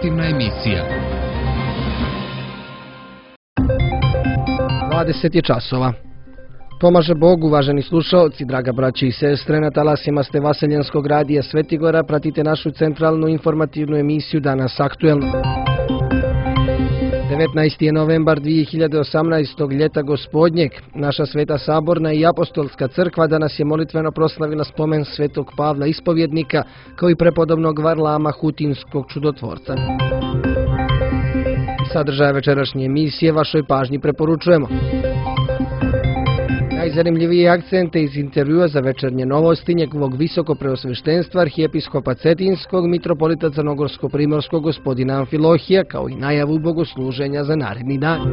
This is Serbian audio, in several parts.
informativna emisija. 20 je časova. Pomaže Bog, uvaženi slušaoci, draga braći i sestre, na talasima ste Vaseljenskog radija Svetigora, pratite našu centralnu informativnu emisiju Danas aktuelno. 19. je novembar 2018. ljeta gospodnjeg. Naša Sveta Saborna i Apostolska crkva danas je molitveno proslavila spomen Svetog Pavla Ispovjednika, kao i prepodobnog Varlama Hutinskog čudotvorca. Sadržaje večerašnje emisije vašoj pažnji preporučujemo. Najzanimljivije akcente iz intervjua za večernje novosti njegovog visokopreosveštenstva arhijepiskopa Cetinskog mitropolita Crnogorsko-primorskog gospodina Amfilohija, kao i najavu bogosluženja za naredni dan.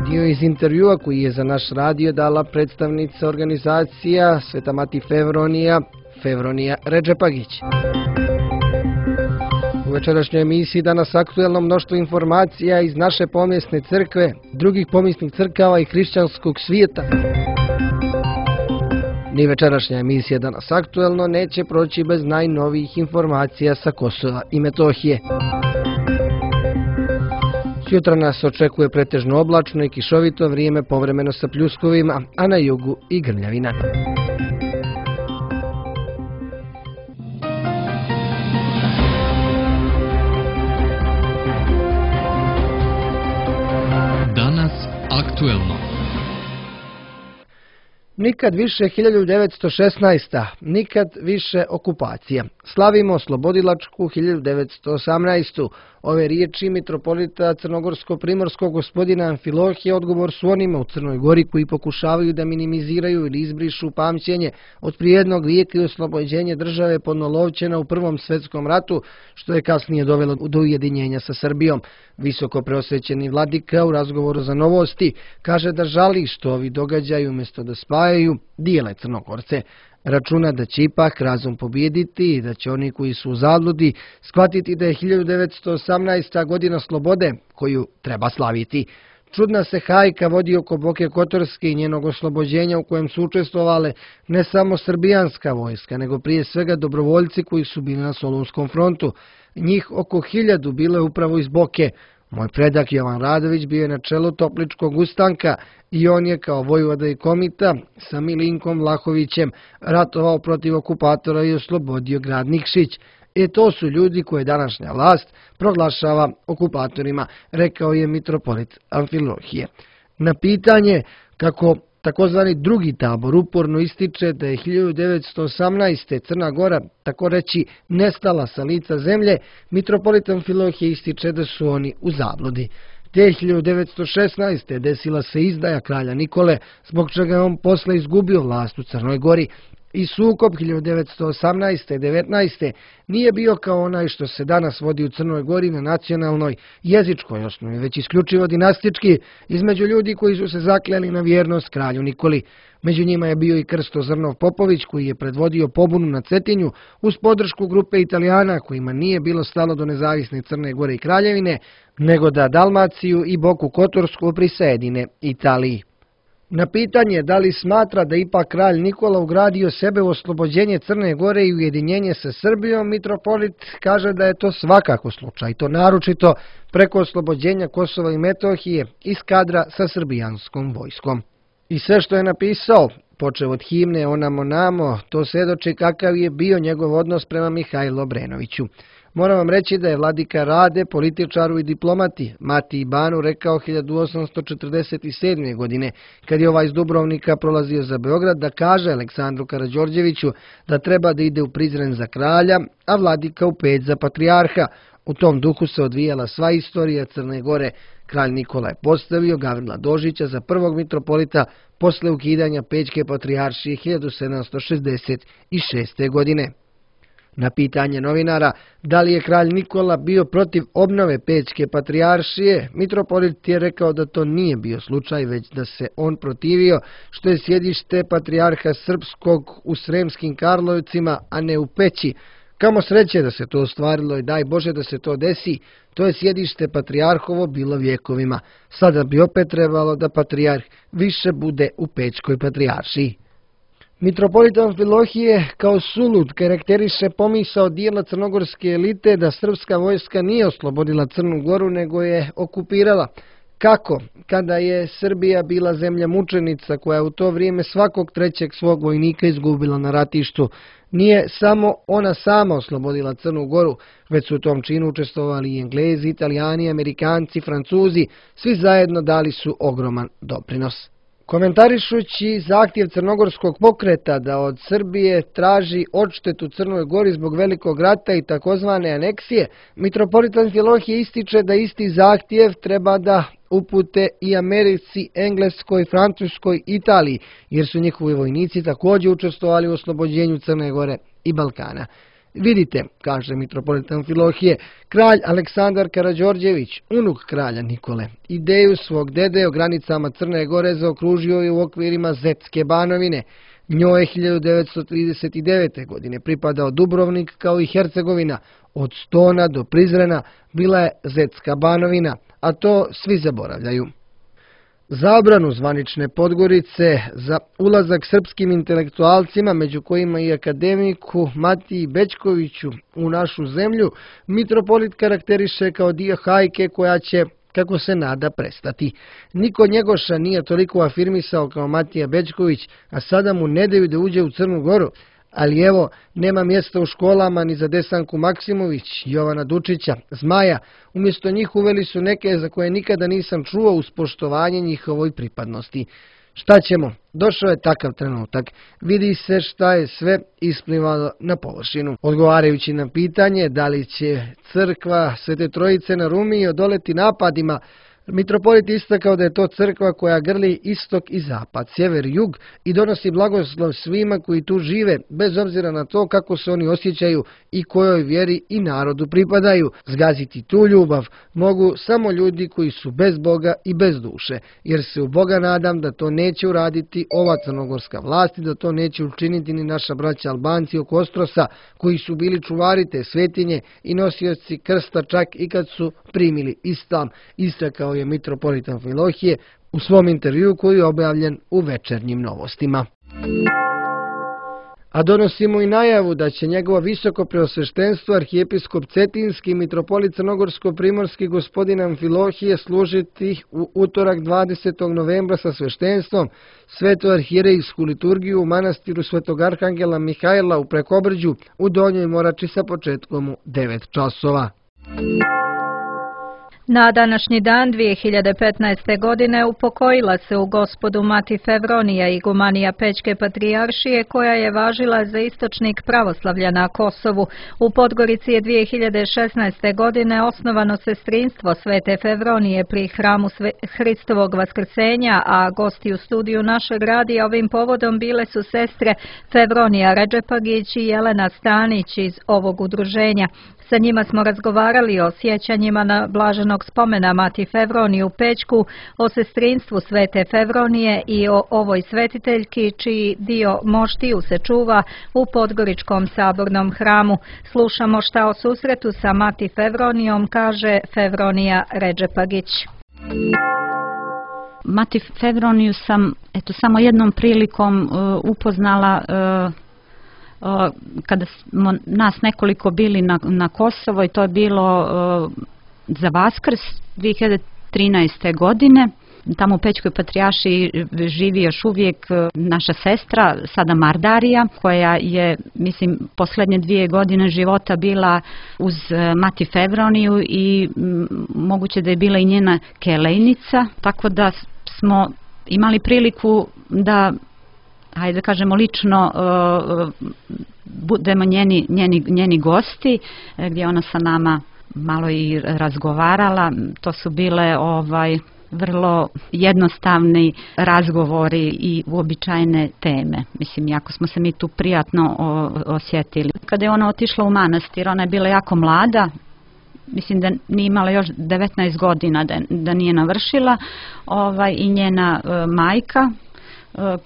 Dio iz intervjua koji je za naš radio dala predstavnica organizacija Sveta Mati Fevronija Redžepagić. U večerašnjoj emisiji danas aktuelno mnoštvo informacija iz naše pomjesne crkve, drugih pomjesnih crkava i hrišćanskog svijeta. Ni večerašnja emisija danas aktuelno neće proći bez najnovijih informacija sa Kosova i Metohije. Sutra nas očekuje pretežno oblačno i kišovito vrijeme, povremeno sa pljuskovima, a na jugu i grmljavina. Aktuelno. Nikad više 1916. Nikad više okupacija. Slavimo oslobodilačku 1918. Ove riječi mitropolita Crnogorsko-primorskog gospodina Amfilohija odgovor su onima u Crnoj Gori koji pokušavaju da minimiziraju ili izbrišu pamćenje od prije jednog vijeka i oslobođenje države podnolovčena u Prvom svjetskom ratu, što je kasnije dovelo do ujedinjenja sa Srbijom. Visoko preosvećeni vladika u razgovoru za novosti kaže da žali što ovi događaju umjesto da spajaju dijele Crnogorce. Računa da će ipak razum pobijediti i da će oni koji su u zabludi shvatiti da je 1918. godina slobode koju treba slaviti. Čudna se hajka vodi oko Boke Kotorske i njenog oslobođenja u kojem su učestvovale ne samo srbijanska vojska, nego prije svega dobrovoljci koji su bili na Solunskom frontu. Njih oko 1000 bilo je upravo iz Boke. Moj predak Jovan Radović bio je na čelu Topličkog ustanka i on je kao vojvoda i komita sa Milinkom Vlahovićem ratovao protiv okupatora i oslobodio grad Nikšić. To su ljudi koje današnja vlast proglašava okupatorima, rekao je mitropolit Amfilohije. Na pitanje kako takozvani drugi tabor uporno ističe da je 1918. Crna Gora, tako reći, nestala sa lica zemlje, mitropolit Amfilohije ističe da su oni u zabludi. Te 1916. desila se izdaja kralja Nikole, zbog čega je on posle izgubio vlast u Crnoj Gori. I sukob 1918. 19. nije bio kao onaj što se danas vodi u Crnoj Gori na nacionalnoj jezičkoj osnovi, već isključivo dinastički između ljudi koji su se zakleli na vjernost kralju Nikoli. Među njima je bio i Krsto Zrnov Popović koji je predvodio pobunu na Cetinju uz podršku grupe Italijana kojima nije bilo stalo do nezavisne Crne Gore i Kraljevine, nego da Dalmaciju i Boku Kotorsku prisajedine Italiji. Na pitanje da li smatra da ipak kralj Nikola ugradio sebe u oslobođenje Crne Gore i ujedinjenje sa Srbijom, mitropolit kaže da je to svakako slučaj, to naročito preko oslobođenja Kosova i Metohije iz kadra sa srbijanskom vojskom. I sve što je napisao, počev od himne Onamo namo, to svjedoči kakav je bio njegov odnos prema Mihajlu Obrenoviću. Moram vam reći da je vladika Rade, političaru i diplomati, Mati i Banu rekao 1847. godine, kad je ovaj iz Dubrovnika prolazio za Beograd, da kaže Aleksandru Karađorđeviću da treba da ide u Prizren za kralja, a vladika u Peć za patrijarha. U tom duhu se odvijala sva istorija Crne Gore. Kralj Nikola je postavio Gavrila Dožića za prvog mitropolita posle ukidanja Pećke patrijaršije 1766. godine. Na pitanje novinara da li je kralj Nikola bio protiv obnove Pećke patrijaršije, mitropolit je rekao da to nije bio slučaj, već da se on protivio što je sjedište patrijarha srpskog u Sremskim Karlovcima, a ne u Peći. Kamo sreće da se to ostvarilo i daj Bože da se to desi, to je sjedište patrijarhovo bilo vjekovima. Sada bi opet trebalo da patrijarh više bude u Pećkoj patrijaršiji. Mitropolit Amfilohije kao sulud karakteriše pomisao dijela crnogorske elite da srpska vojska nije oslobodila Crnu Goru nego je okupirala. Kako? Kada je Srbija bila zemlja mučenica koja je u to vrijeme svakog trećeg svog vojnika izgubila na ratištu, nije samo ona sama oslobodila Crnu Goru, već su u tom činu učestvovali i Englezi, Italijani, Amerikanci, Francuzi, svi zajedno dali su ogroman doprinos. Komentarišući zahtjev crnogorskog pokreta da od Srbije traži odštetu Crnoj Gori zbog velikog rata i takozvane aneksije, mitropolit Amfilohije ističe da isti zahtjev treba da upute i Americi, Engleskoj, Francuskoj, Italiji, jer su njihovi vojnici također učestvovali u oslobođenju Crne Gore i Balkana. Vidite, kaže mitropolit Amfilohije, kralj Aleksandar Karađorđević, unuk kralja Nikole, ideju svog dede o granicama Crne Gore zaokružio je u okvirima Zetske banovine. Njoj je 1939. godine pripadao Dubrovnik kao i Hercegovina. Od Stona do Prizrena bila je Zetska banovina, a to svi zaboravljaju. Zabranu zvanične Podgorice za ulazak srpskim intelektualcima, među kojima i akademiku Matiji Bećkoviću, u našu zemlju, mitropolit karakteriše kao dio hajke koja će, kako se nada, prestati. Niko Njegoša nije toliko afirmisao kao Matija Bećković, a sada mu ne daju da uđe u Crnu Goru. Ali evo, nema mjesta u školama ni za Desanku Maksimović, Jovana Dučića, Zmaja. Umjesto njih uveli su neke za koje nikada nisam čuo uz poštovanje njihovoj pripadnosti. Šta ćemo? Došao je takav trenutak. Vidi se šta je sve isplivalo na površinu. Odgovarajući na pitanje da li će crkva Svete Trojice na Rumiji odoleti napadima, mitropolit istakao da je to crkva koja grli istok i zapad, sjever i jug i donosi blagoslov svima koji tu žive, bez obzira na to kako se oni osjećaju i kojoj vjeri i narodu pripadaju. Zgaziti tu ljubav mogu samo ljudi koji su bez Boga i bez duše, jer se u Boga nadam da to neće uraditi ova crnogorska vlast i da to neće učiniti ni naša braća Albanci oko Ostrosa, koji su bili čuvari te svetinje i nosioci krsta čak i kad su primili islam, istakao je mitropolit Amfilohije u svom intervju koji je objavljen u Večernjim novostima. A donosimo i najavu da će njegovo visoko preosveštenstvo arhijepiskop Cetinski i mitropolit Crnogorsko-primorski gospodin Amfilohije služiti u utorak 20. novembra sa sveštenstvom svetu arhierejsku liturgiju u manastiru Svetog Arhangela Mihajla u Prekobrđu u Donjoj Morači sa početkom u 9 časova. Na današnji dan 2015. godine upokojila se u Gospodu Mati Fevronija, igumanija Pećke patrijaršije, koja je važila za istočnik pravoslavlja na Kosovu. U Podgorici je 2016. godine osnovano sestrinstvo Svete Fevronije pri hramu Hristovog vaskrsenja, a gosti u studiju našeg radija ovim povodom bile su sestre Fevronija Redžepagić i Jelena Stanić iz ovog udruženja. Sa njima smo razgovarali o sjećanjima na blaženog spomena Mati Fevroniji u Pećku, o sestrinstvu Svete Fevronije i o ovoj svetiteljki čiji dio moštiju se čuva u Podgoričkom sabornom hramu. Slušamo šta o susretu sa Mati Fevronijom kaže Fevronija Redžepagić. Mati Fevroniju sam samo jednom prilikom upoznala kada smo nas nekoliko bili na Kosovo i to je bilo za Vaskrs 2013. godine. Tamo u Pećkoj patrijaršiji živi još uvijek naša sestra, sada Mardarija, koja je, mislim, posljednje 2 godine života bila uz Mati Fevroniju i moguće da je bila i njena kelejnica, tako da smo imali priliku da, hajde da kažemo, lično budemo njeni gosti, gdje ona sa nama malo i razgovarala. To su bile vrlo jednostavni razgovori i uobičajene teme. Mislim, jako smo se mi tu prijatno osjetili. Kada je ona otišla u manastir, ona je bila jako mlada, mislim da nije imala još 19 godina, da nije navršila, i njena majka,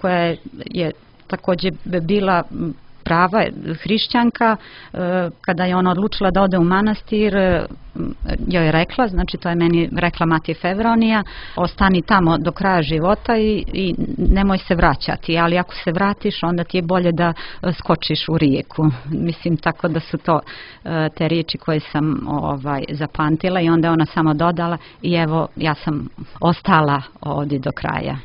koja je također bila prava hrišćanka. Kada je ona odlučila da ode u manastir, joj je rekla, znači to je meni rekla mati Fevronija, ostani tamo do kraja života i nemoj se vraćati, ali ako se vratiš onda ti je bolje da skočiš u rijeku. Mislim, tako da su to te riječi koje sam zapamtila i onda je ona samo dodala i evo ja sam ostala ovdje do kraja.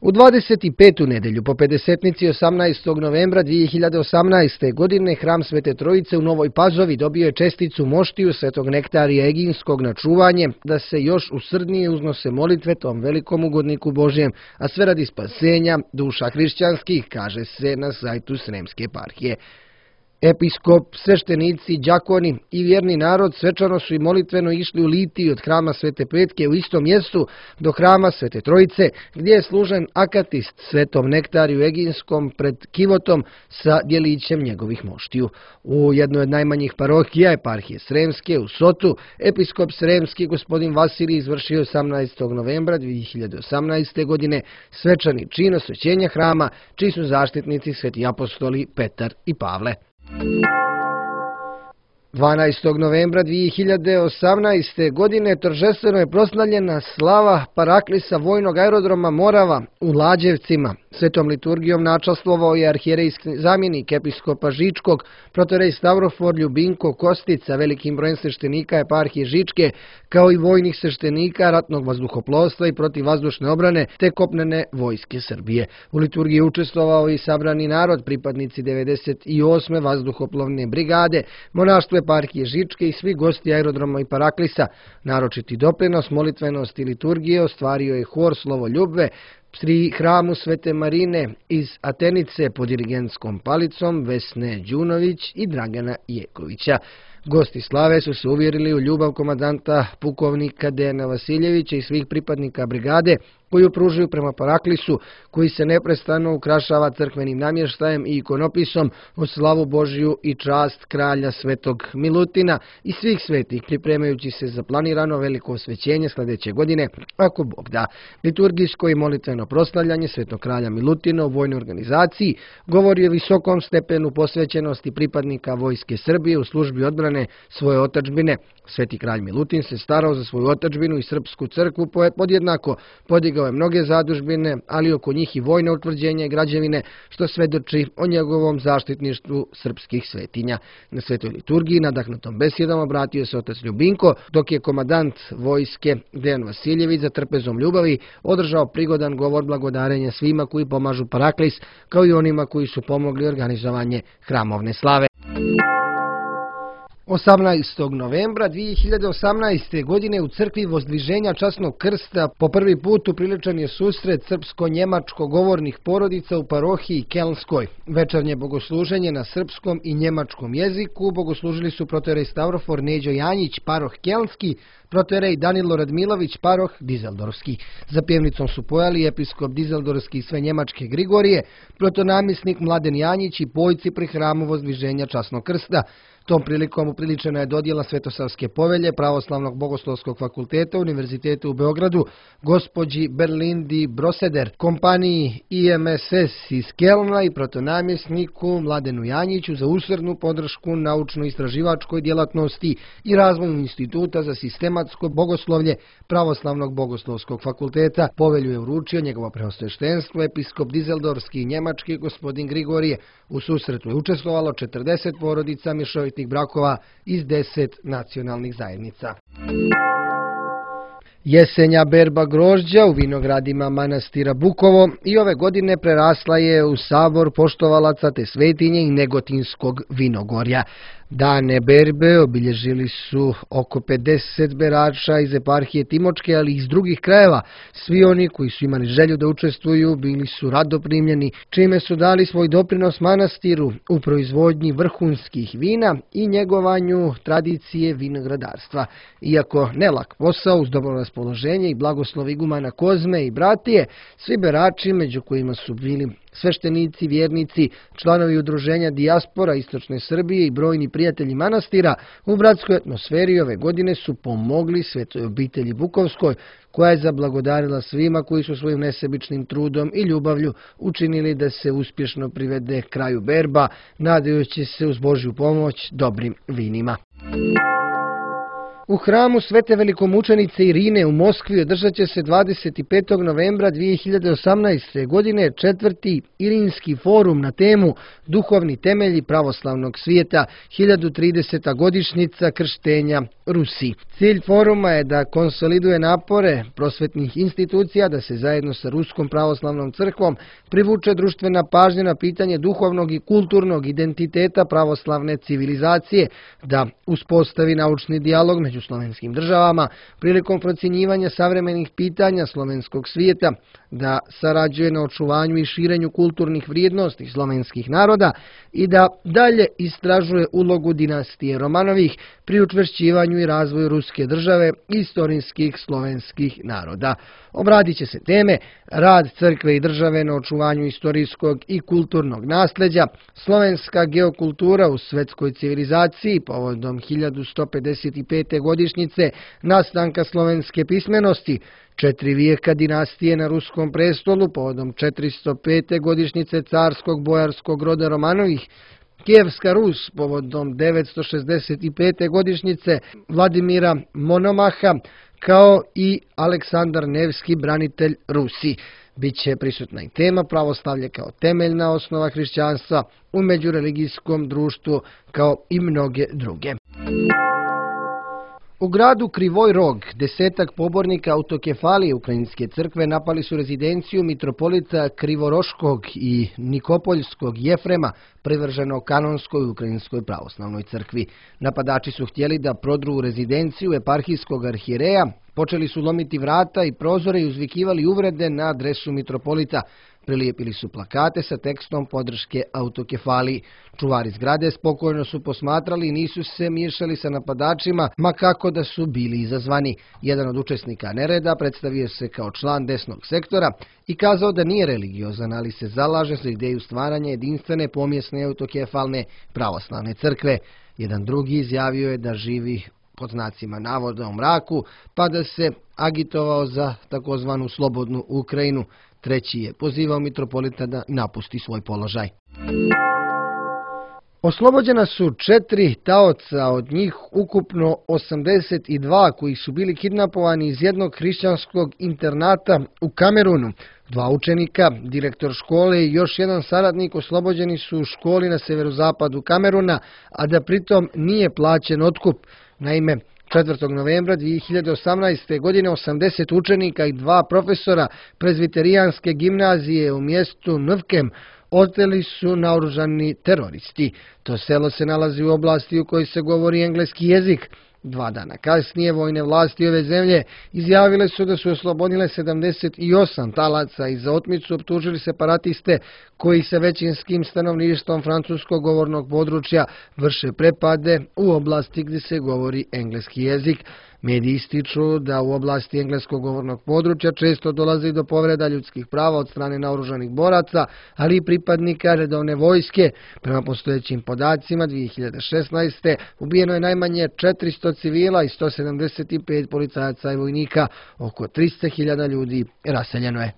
U 25. nedelju po pedesetnici 18. novembra 2018. godine Hram Svete Trojice u Novoj Pazovi dobio je česticu moštiju Svetog Nektarija Eginskog na čuvanje da se još usrdnije uznose molitve tom velikom ugodniku Božjem, a sve radi spasenja duša hrišćanskih, kaže se na sajtu Sremske eparhije. Episkop, sveštenici, đakoni i vjerni narod svečano su i molitveno išli u litiji od Hrama Svete Petke u istom mjestu do Hrama Svete Trojice, gdje je služen akatist Svetom Nektariju Eginskom pred kivotom sa djelićem njegovih moštiju. U jednoj od najmanjih parohija eparhije Sremske u Sotu, episkop Sremski gospodin Vasilij izvršio 18. novembra 2018. godine svečani čin osvećenja hrama, čiji su zaštitnici sveti apostoli Petar i Pavle. 12. novembra 2018. godine торжествено je proslavljena slava Paraklisa vojnog aerodroma Morava u Lađevcima. Svetom liturgijom načastvovao je arhijerejski zamjenik episkopa Žičkog, protorej Stavrofor Ljubinko Kostica, velikim brojem sveštenika eparhije Žičke, kao i vojnih sveštenika ratnog vazduhoplovstva i protivvazdušne obrane te kopnene vojske Srbije. U liturgiji je učestvovao i sabrani narod, pripadnici 98. vazduhoplovne brigade, monaštvo eparhije Žičke i svi gosti aerodroma i Paraklisa. Naročiti doprinos molitvenosti liturgije ostvario je hor Slovo Ljubve pri Hramu Svete Marine iz Atenice pod dirigentskom palicom Vesne Đunović i Dragana Jekovića. Gosti slave su se uvjerili u ljubav komandanta pukovnika Dejana Vasiljevića i svih pripadnika brigade koju pružuju prema Paraklisu, koji se neprestano ukrašava crkvenim namještajem i ikonopisom u slavu Božiju i čast kralja Svetog Milutina i svih svetih, pripremajući se za planirano veliko osvećenje sljedeće godine, ako Bog da. Liturgijsko i molitveno proslavljanje Svetog kralja Milutina u vojnoj organizaciji govori o visokom stepenu posvećenosti pripadnika vojske Srbije u službi odbrane svoje otadžbine. Sveti kralj Milutin se starao za svoju otadžbinu i srpsku crkvu podjednako, podigao je mnoge zadužbine, ali oko njih i vojne utvrđenja i građevine, što svedoči o njegovom zaštitništvu srpskih svetinja. Na svetoj liturgiji nadahnutom besedom obratio se otac Ljubinko, dok je komandant vojske Dejan Vasiljević za trpezom ljubavi održao prigodan govor blagodarenja svima koji pomažu Paraklis, kao i onima koji su pomogli organizovanje hramovne slave. 18. novembra 2018. godine u crkvi Vozdviženja Časnog Krsta po prvi put upriličan je susret srpsko-njemačko govornih porodica u parohiji Kelnskoj. Večernje bogosluženje na srpskom i njemačkom jeziku bogoslužili su protorej Stavrofor Neđo Janjić, paroh Kelnski, protorej Danilo Radmilović, paroh Dizeldorfski. Za pjevnicom su pojali episkop Dizeldorfski i sve njemačke Grigorije, protonamisnik Mladen Janjić i pojci pri hramu Vozdviženja Časnog Krsta. Tom prilikom upriličena je dodjela Svetosavske povelje Pravoslavnog bogoslovskog fakulteta Univerziteta u Beogradu gospođi Berlindi Broseder, kompaniji IMSS iz Kelna i protonamjesniku Mladenu Janjiću za usrdnu podršku naučno-istraživačkoj djelatnosti i razvoju Instituta za sistematsko bogoslovlje Pravoslavnog bogoslovskog fakulteta. Povelju je uručio njegovo preosveštenstvo episkop Dizeldorfski i njemački gospodin Grigorije. U susretu je učestvovalo 40 porodica mješovitih brakova iz 10 nacionalnih zajednica. Jesenja berba grožđa u vinogradima manastira Bukovo i ove godine prerasla je u sabor poštovalaca te svetinje i Negotinskog vinogorja. Dane berbe obilježili su oko 50 berača iz eparhije Timočke, ali i iz drugih krajeva. Svi oni koji su imali želju da učestvuju bili su rado primljeni, čime su dali svoj doprinos manastiru u proizvodnji vrhunskih vina i njegovanju tradicije vinogradarstva. Iako nelak posao, uz dobro raspoloženje i blagoslov igumana Kozme i bratije, svi berači, među kojima su bili sveštenici, vjernici, članovi udruženja Dijaspora Istočne Srbije i brojni prijatelji manastira u bratskoj atmosferi ove godine su pomogli Svetoj obitelji Bukovskoj, koja je zablagodarila svima koji su svojim nesebičnim trudom i ljubavlju učinili da se uspješno privede kraju berba, nadajući se uz Božju pomoć dobrim vinima. U hramu Svete velikomučenice Irine u Moskvi održat će se 25. novembra 2018. godine 4. Irinski forum na temu Duhovni temelji pravoslavnog svijeta, 1030. godišnjica krštenja Rusi. Cilj foruma je da konsoliduje napore prosvetnih institucija da se zajedno sa Ruskom pravoslavnom crkvom privuče društvena pažnja na pitanje duhovnog i kulturnog identiteta pravoslavne civilizacije, da uspostavi naučni dijalog među slovenskim državama prilikom procjenjivanja savremenih pitanja slovenskog svijeta, da sarađuje na očuvanju i širenju kulturnih vrijednosti slovenskih naroda i da dalje istražuje ulogu dinastije Romanovih pri učvršćivanju i razvoju ruske države i istorijskih slovenskih naroda. Obradit će se teme rad crkve i države na očuvanju istorijskog i kulturnog nasljeđa, slovenska geokultura u svetskoj civilizaciji povodom 1155. godišnjice nastanka slovenske pismenosti, 4 vijeka dinastije na ruskom prestolu povodom 405. godišnjice carskog bojarskog roda Romanovih, Kijevska Rus povodom 965. godišnjice Vladimira Monomaha, kao i Aleksandar Nevski, branitelj Rusi. Biće prisutna i tema pravoslavlje kao temeljna osnova hrišćanstva u međureligijskom društvu, kao i mnoge druge. U gradu Krivoj Rog 10 pobornika autokefalije Ukrajinske crkve napali su rezidenciju mitropolita Krivoroškog i Nikopoljskog Jefrema, privrženog kanonskoj Ukrajinskoj pravoslavnoj crkvi. Napadači su htjeli da prodru u rezidenciju eparhijskog arhijereja, počeli su lomiti vrata i prozore i uzvikivali uvrede na adresu mitropolita. Prilijepili su plakate sa tekstom podrške autokefaliji. Čuvari zgrade spokojno su posmatrali i nisu se miješali sa napadačima, ma kako da su bili izazvani. Jedan od učesnika nereda predstavio se kao član desnog sektora i kazao da nije religiozan, ali se zalaže za ideju stvaranja jedinstvene pomjesne autokefalne pravoslavne crkve. Jedan drugi izjavio je da živi pod znacima navoda u mraku, pa da se agitovao za takozvanu slobodnu Ukrajinu. Treći je pozivao mitropolita da napusti svoj položaj. Oslobođena su 4 taoca, od njih ukupno 82 koji su bili kidnapovani iz jednog hrišćanskog internata u Kamerunu. 2 učenika, direktor škole i još jedan saradnik oslobođeni su u školi na severozapadu Kameruna, a da pritom nije plaćen otkup. Naime, 4. novembra 2018. godine 80 učenika i 2 profesora prezbiterijanske gimnazije u mjestu Nvkem oteli su naoružani teroristi. To selo se nalazi u oblasti u kojoj se govori engleski jezik. 2 dana kasnije vojne vlasti ove zemlje izjavile su da su oslobodile 78 talaca i za otmicu optužili separatiste koji sa većinskim stanovništvom francuskog govornog područja vrše prepade u oblasti gdje se govori engleski jezik. Mediji ističu da u oblasti engleskog govornog područja često dolazi do povreda ljudskih prava od strane naoružanih boraca, ali i pripadnika redovne vojske. Prema postojećim podacima 2016. ubijeno je najmanje 400 civila i 175 policajaca i vojnika. Oko 300.000 ljudi raseljeno je.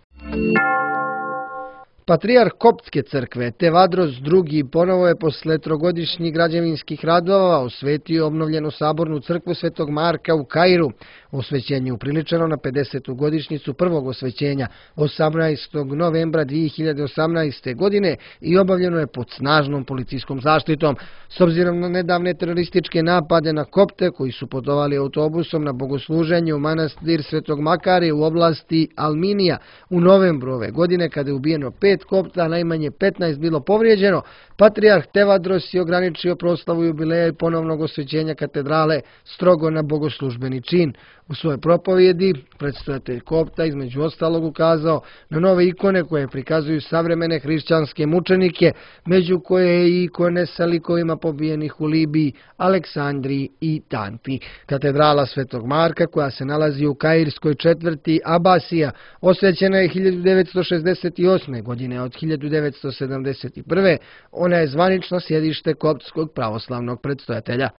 Patrijarh Koptske crkve Tevadros II ponovo je posle 3-godišnjih građevinskih radova osvetio obnovljenu sabornu crkvu Svetog Marka u Kairu. Osvećenje upriličeno na 50. godišnjicu prvog osvećenja 18. novembra 2018. godine i obavljeno je pod snažnom policijskom zaštitom. S obzirom na nedavne terorističke napade na Kopte koji su putovali autobusom na bogosluženje u manastir Svetog Makarije u oblasti Alminija u novembru ove godine, kada je ubijeno 5 Kopta, najmanje 15 bilo povrijeđeno, patrijarh Tevadros je ograničio proslavu jubileja i ponovnog osvećenja katedrale strogo na bogoslužbeni čin. U svojoj propovjedi predstojatelj Kopta između ostalog ukazao na nove ikone koje prikazuju savremene hrišćanske mučenike, među koje je i ikone sa likovima pobijenih u Libiji, Aleksandriji i Tanti. Katedrala Svetog Marka, koja se nalazi u kairskoj četvrti Abasija, osvećena je 1968. godine. godine. Od 1971. ona je zvanično sjedište koptskog pravoslavnog predstojatelja.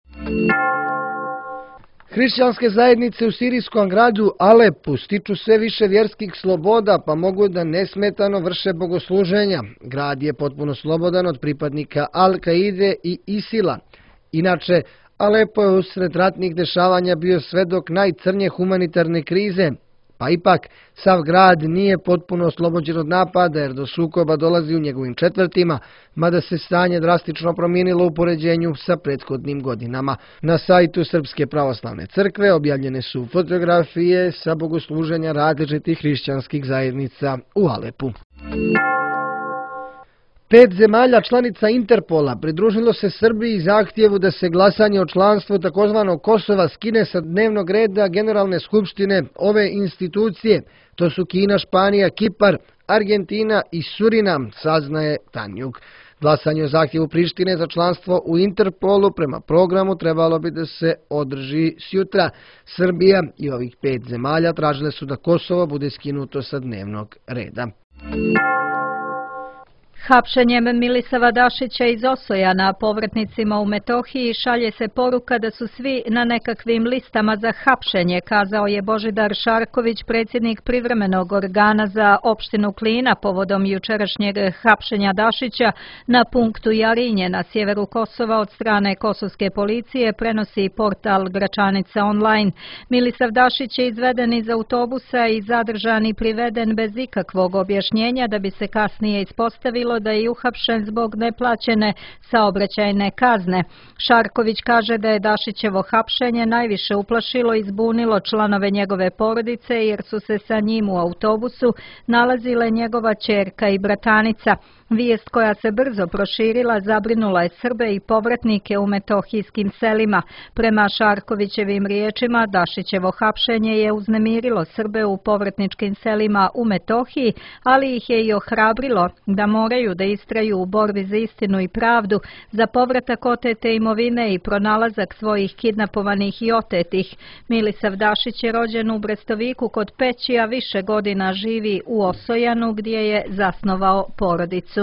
Hrišćanske zajednice u sirijskom gradu Alepu stiču sve više vjerskih sloboda, pa mogu da nesmetano vrše bogosluženja. Grad je potpuno slobodan od pripadnika Al-Kaide i ISIL-a. Inače, Alepo je usred ratnih dešavanja bio svedok najcrnje humanitarne krize, pa ipak sav grad nije potpuno oslobođen od napada jer do sukoba dolazi u njegovim četvrtima, mada se stanje drastično promijenilo u poređenju sa prethodnim godinama. Na sajtu Srpske pravoslavne crkve objavljene su fotografije sa bogosluženja različitih hrišćanskih zajednica u Alepu. 5 zemalja članica Interpola pridružilo se Srbiji zahtjevu da se glasanje o članstvu takozvanog Kosova skine sa dnevnog reda Generalne skupštine ove institucije. To su Kina, Španija, Kipar, Argentina i Surinam, saznaje Tanjug. Glasanje o zahtjevu Prištine za članstvo u Interpolu prema programu trebalo bi da se održi sjutra. Srbija i ovih 5 zemalja tražile su da Kosovo bude skinuto sa dnevnog reda. Hapšenjem Milisava Dašića iz Osojana povratnicima u Metohiji šalje se poruka da su svi na nekakvim listama za hapšenje, kazao je Božidar Šarković, predsjednik privremenog organa za opštinu Klina povodom jučerašnjeg hapšenja Dašića na punktu Jarinje na sjeveru Kosova od strane kosovske policije, prenosi portal Gračanica online. Milisav Dašić je izveden iz autobusa i zadržan i priveden bez ikakvog objašnjenja da bi se kasnije ispostavilo da je uhapšen zbog neplaćene saobraćajne kazne. Šarković kaže da je Dašićevo hapšenje najviše uplašilo i zbunilo članove njegove porodice jer su se sa njim u autobusu nalazile njegova ćerka i bratanica. Vijest koja se brzo proširila zabrinula je Srbe i povratnike u metohijskim selima. Prema Šarkovićevim riječima, Dašićevo hapšenje je uznemirilo Srbe u povratničkim selima u Metohiji, ali ih je i ohrabrilo da moraju da istraju u borbi za istinu i pravdu, za povratak otete imovine i pronalazak svojih kidnapovanih i otetih. Milisav Dašić je rođen u Brestoviku kod Peći, a više godina živi u Osojanu gdje je zasnovao porodicu.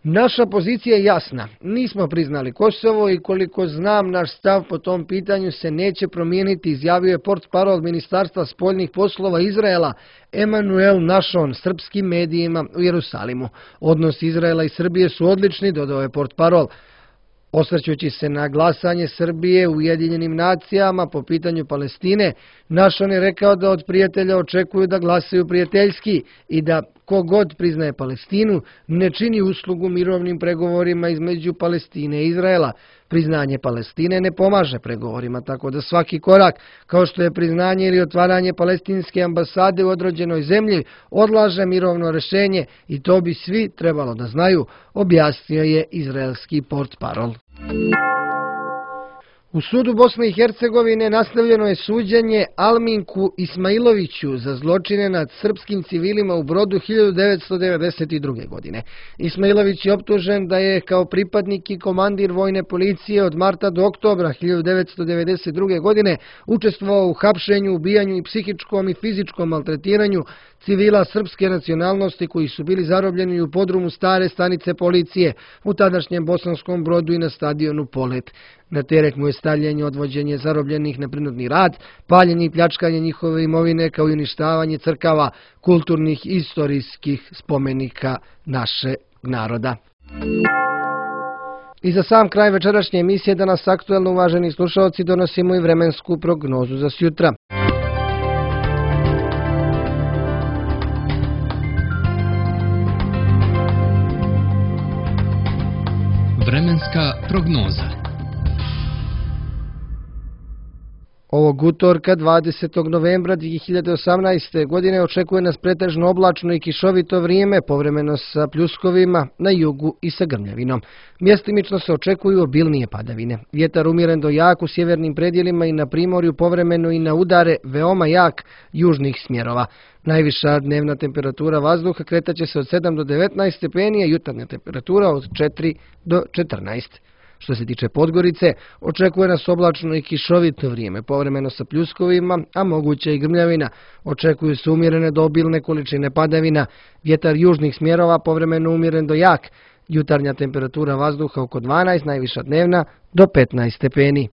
Naša pozicija je jasna. Nismo priznali Kosovo i koliko znam naš stav po tom pitanju se neće promijeniti, izjavio je portparol Ministarstva spoljnih poslova Izraela Emanuel Našon srpskim medijima u Jerusalimu. Odnos Izraela i Srbije su odlični, dodao je portparol. Osvrćući se na glasanje Srbije u Ujedinjenim nacijama po pitanju Palestine, Našon je rekao da od prijatelja očekuju da glasaju prijateljski i da kogod priznaje Palestinu ne čini uslugu mirovnim pregovorima između Palestine i Izraela. Priznanje Palestine ne pomaže pregovorima, tako da svaki korak, kao što je priznanje ili otvaranje palestinske ambasade u određenoj zemlji, odlaže mirovno rješenje i to bi svi trebalo da znaju, objasnio je izraelski portparol. U sudu Bosne i Hercegovine nastavljeno je suđenje Alminku Ismailoviću za zločine nad srpskim civilima u Brodu 1992. godine. Ismailović je optužen da je kao pripadnik i komandir vojne policije od marta do oktobra 1992. godine učestvovao u hapšenju, ubijanju i psihičkom i fizičkom maltretiranju civila srpske nacionalnosti koji su bili zarobljeni u podrumu stare stanice policije u tadašnjem Bosanskom Brodu i na stadionu Polet. Na teret mu je stavljanje, odvođenje zarobljenih na prinudni rad, paljenje i pljačkanje njihove imovine kao i uništavanje crkava, kulturnih i istorijskih spomenika našeg naroda. I za sam kraj večerašnje emisije danas aktuelno, uvaženi slušalci, donosimo i vremensku prognozu za sjutra. Vremenska prognoza. Ovog utorka 20. novembra 2018. godine očekuje nas pretežno oblačno i kišovito vrijeme, povremeno sa pljuskovima na jugu i sa grmljavinom. Mjestimično se očekuju obilnije padavine. Vjetar umjeren do jak u sjevernim predjelima i na primorju, povremeno i na udare veoma jak južnih smjerova. Najviša dnevna temperatura vazduha kretaće se od 7 do 19 stepeni, a jutarnja temperatura od 4 do 14. Što se tiče Podgorice, očekuje nas oblačno i kišovito vrijeme, povremeno sa pljuskovima, a moguće i grmljavina. Očekuju se umjerene do obilne količine padavina, vjetar južnih smjerova povremeno umjeren do jak, jutarnja temperatura vazduha oko 12, najviša dnevna do 15 stepeni.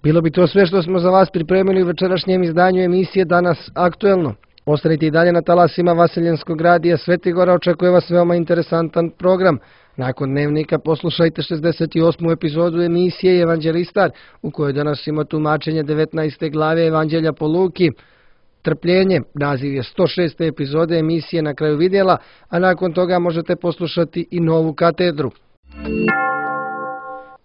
Bilo bi to sve što smo za vas pripremili u večerašnjem izdanju emisije Danas aktuelno. Ostanite i dalje na talasima Vaseljenskog radija Svetigora, očekuje vas veoma interesantan program. Nakon dnevnika poslušajte 68. epizodu emisije Evanđelistar, u kojoj danas ima tumačenje 19. glave Evanđelja po Luki. Trpljenje, naziv je 106. epizode emisije Na kraju vidjela, a nakon toga možete poslušati i novu katedru.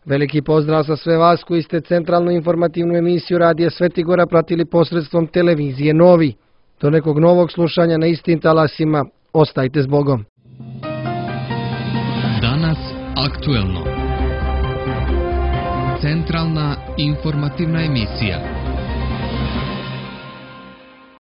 Veliki pozdrav za sve vas koji ste centralnu informativnu emisiju Radija Svetigora pratili posredstvom televizije Novi. Do nekog novog slušanja na istim talasima, ostajte s Bogom. Danas aktuelno. Centralna informativna emisija.